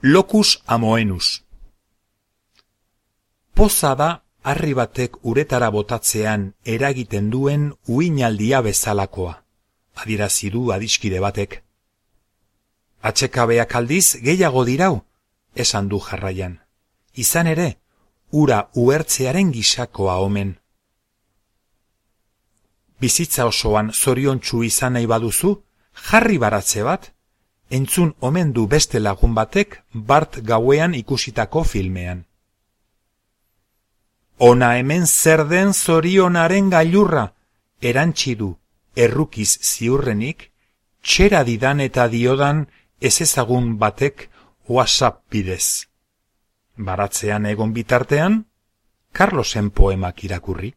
Locus amoenus. Poza da harri batek uretara botatzean eragiten duen uinaldia bezalakoa, adierazi du adiskide batek. Atsekabeak aldiz gehiago dirau, esan du jarraian. Izan ere, ura uhertzearen gisakoa omen. Bizitza osoan zoriontsu izan nahi baduzu, jarri baratze bat, entzun omen du beste lagun batek bart gauean ikusitako filmean. Ona hemen zer den zorionaren gailurra, erantsi du, errukiz ziurrenik, txera didan eta diodan ezezagun batek WhatsApp bidez. Baratzean egon bitartean, Carlosen poemak irakurri.